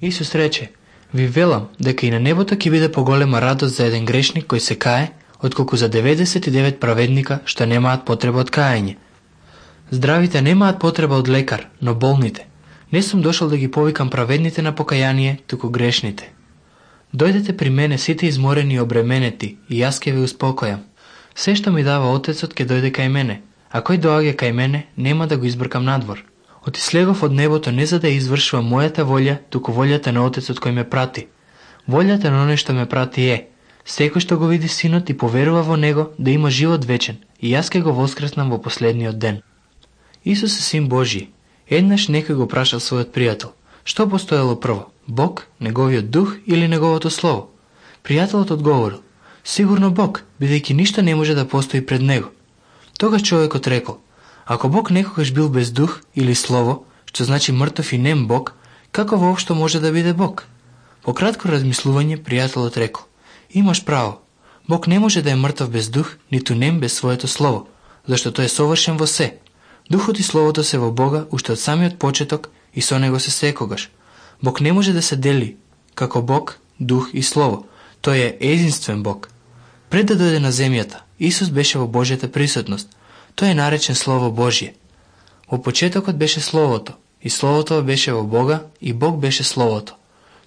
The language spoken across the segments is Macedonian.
Исус рече: ви велам дека и на небото ќе биде поголема радост за еден грешник кој се кае, отколку за 99 праведника што немаат потреба од каење. Здравите немаат потреба од лекар, но болните. Не сум дошол да ги повикам праведните на покаяние, туку грешните. Дојдете при мене сите изморени и обременети, и јас ќе ви успокојам. Се што ми дава Отецот ќе дојде кај мене, а кој доаѓа кај мене, нема да го избркам надвор. Отислегов од небото не за да извршувам мојата волја, туку волјата на Отецот кој ме прати. Волјата на оној што ме прати е: секој што го види Синот и поверува во него, да има живот вечен, и јас ќе го воскреснам во последниот ден. Исус е Син Божји. Еднаш некој го прашал својот пријател: што постоело прво, Бог, неговиот дух или неговото слово? Пријателот одговорил: сигурно Бог, бидејќи ништо не може да постои пред него. Тогаш човекот рекол: ако Бог некогаш бил без дух или слово, што значи мртов и нем Бог, како воопшто може да биде Бог? По кратко размислување, пријателот рекол: имаш право, Бог не може да е мртов без дух, ниту нем без своето слово, зашто тој е совршен во се. Духот и словото се во Бога уште од самиот почеток и со него се секогаш. Бог не може да се дели како Бог, дух и слово. Тој е единствен Бог. Пред да дојде на земјата, Исус беше во Божјата присутност. Тој е наречен Слово Божје. Во почетокот беше Словото, и Словото беше во Бога, и Бог беше Словото.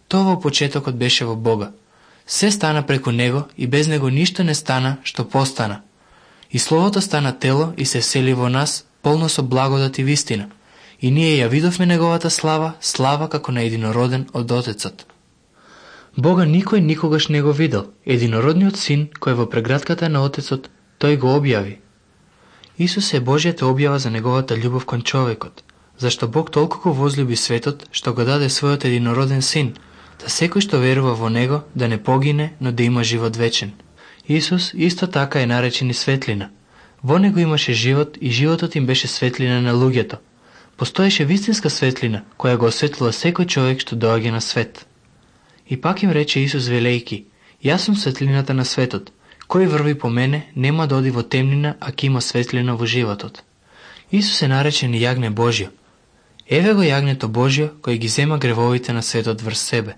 Тоа во почетокот беше во Бога. Се стана преку Него, и без Него ништо не стана што постана. И Словото стана тело и се всели во нас, полно со благодат и вистина. И ние ја видовме Неговата слава, слава како на единороден од Отецот. Бога никој никогаш не го видел. Единородниот Син, кој во прегратката на Отецот, тој го објави. Исус е Божјата објава за Неговата љубов кон човекот, зашто Бог толку возлюби светот, што го даде својот единороден Син, да секој што верува во Него да не погине, но да има живот вечен. Исус исто така е наречен и светлина. Во Него имаше живот и животот им беше светлина на луѓето. Постоеше вистинска светлина, која го осветлила секој човек што доаѓа на свет. И пак им рече Исус велејки: јас сум светлината на светот. Кој врви по мене, нема да оди во темнина, а ќе има светлина во животот. Исус е наречен и јагне Божјо. Еве го јагнето Божјо, кој ги зема гревовите на светот врз себе.